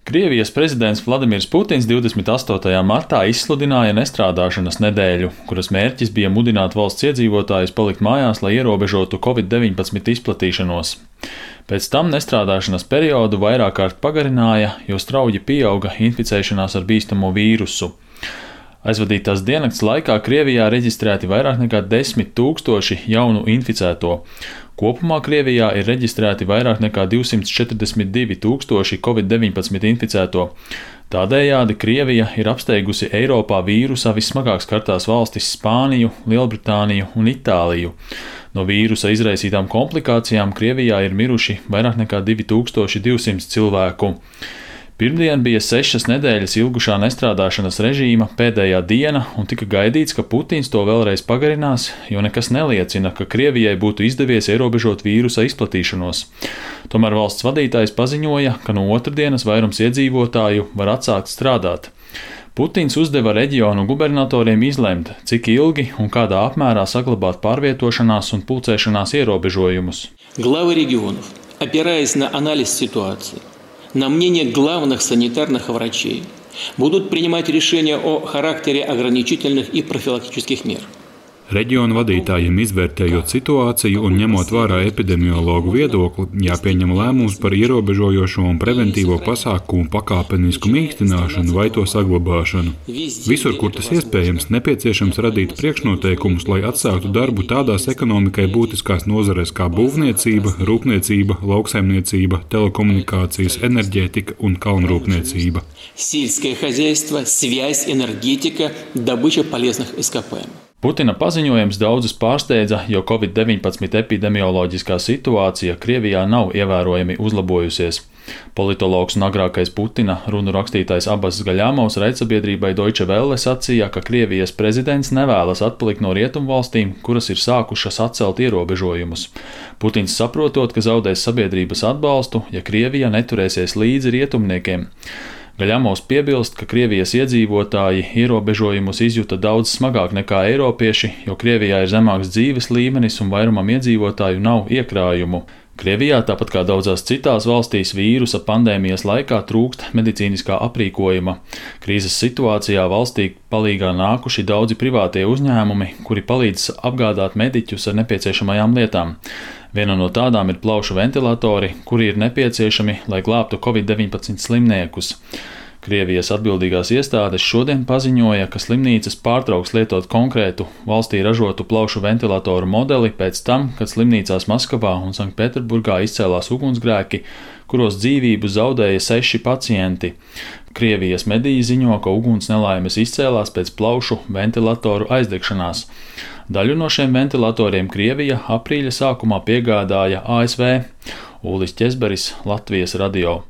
Krievijas prezidents Vladimirs Putins 28. martā izsludināja nestrādāšanas nedēļu, kuras mērķis bija mudināt valsts iedzīvotājus palikt mājās, lai ierobežotu Covid-19 izplatīšanos. Pēc tam nestrādāšanas periodu vairāk kārt pagarināja, jo strauji pieauga inficēšanās ar bīstamo vīrusu. Aizvadītās diennakts laikā Krievijā reģistrēti vairāk nekā 10 000 jaunu inficēto. Kopumā Krievijā ir reģistrēti vairāk nekā 242 000 Covid-19 inficēto. Tādējādi Krievija ir apsteigusi Eiropā vīrusa vissmagāk skartās valstis Spāniju, Lielbritāniju un Itāliju. No vīrusa izraisītām komplikācijām Krievijā ir miruši vairāk nekā 2200 cilvēku. Pirmdien bija 6 nedēļas ilgušā nestrādāšanas režīma pēdējā diena, un tika gaidīts, ka Putins to vēlreiz pagarinās, jo nekas neliecina, ka Krievijai būtu izdevies ierobežot vīrusa izplatīšanos. Tomēr valsts vadītājs paziņoja, ka no otrdienas vairums iedzīvotāju var atsākt strādāt. Putins uzdeva reģionu gubernatoriem izlemt, cik ilgi un kādā apmērā saglabāt pārvietošanās un pulcēšanās ierobežojumus. Главы регионов, опираясь на анализ ситуации, на мнение главных санитарных врачей, будут принимать решения о характере ограничительных и профилактических мер. Reģionu vadītājiem izvērtējot situāciju un ņemot vērā epidemiologu viedokli, jāpieņem lēmums par ierobežojošo un preventīvo pasākumu pakāpenisku mīkstināšanu vai to saglabāšanu. Visur, kur tas iespējams, nepieciešams radīt priekšnoteikumus, lai atsāktu darbu tādās ekonomikai būtiskās nozarēs kā būvniecība, rūpniecība, lauksaimniecība, telekomunikācijas, enerģētika un kalnrūpniecība. Сельское хозяйство, связь, энергетика, добыча полезных ископаемых. Putina paziņojums daudzus pārsteidza, jo Covid-19 epidemioloģiskā situācija Krievijā nav ievērojami uzlabojusies. Politologs un agrākais Putina runu rakstītājs Abbas Gaļamovs raidsabiedrībai Deutsche Welle sacīja, ka Krievijas prezidents nevēlas atpalikt no rietumvalstīm, kuras ir sākušas atcelt ierobežojumus. Putins saprotot, ka zaudēs sabiedrības atbalstu, ja Krievija neturēsies līdzi rietumniekiem. Gaļamovs piebilst, ka Krievijas iedzīvotāji ierobežojumus izjuta daudz smagāk nekā eiropieši, jo Krievijā ir zemāks dzīves līmenis un vairumam iedzīvotāju nav iekrājumu. Krievijā, tāpat kā daudzās citās valstīs, vīrusa pandēmijas laikā trūkst medicīniskā aprīkojuma. Krīzes situācijā valstī palīgā nākuši daudzi privātie uzņēmumi, kuri palīdz apgādāt mediķus ar nepieciešamajām lietām. Viena no tādām ir plaušu ventilatori, kuri ir nepieciešami, lai glābtu Covid-19 slimniekus. Krievijas atbildīgās iestādes šodien paziņoja, ka slimnīcas pārtrauks lietot konkrētu valstī ražotu plaušu ventilatoru modeli pēc tam, kad slimnīcās Maskavā un Sanktpēterburgā izcēlās ugunsgrēki, kuros dzīvību zaudēja 6 pacienti. Krievijas mediji ziņo, ka uguns nelaimes izcēlās pēc plaušu ventilatoru aizdegšanās. Daļu no šiem ventilatoriem Krievija aprīļa sākumā piegādāja ASV. Ulis Ķezberis, Latvijas radio.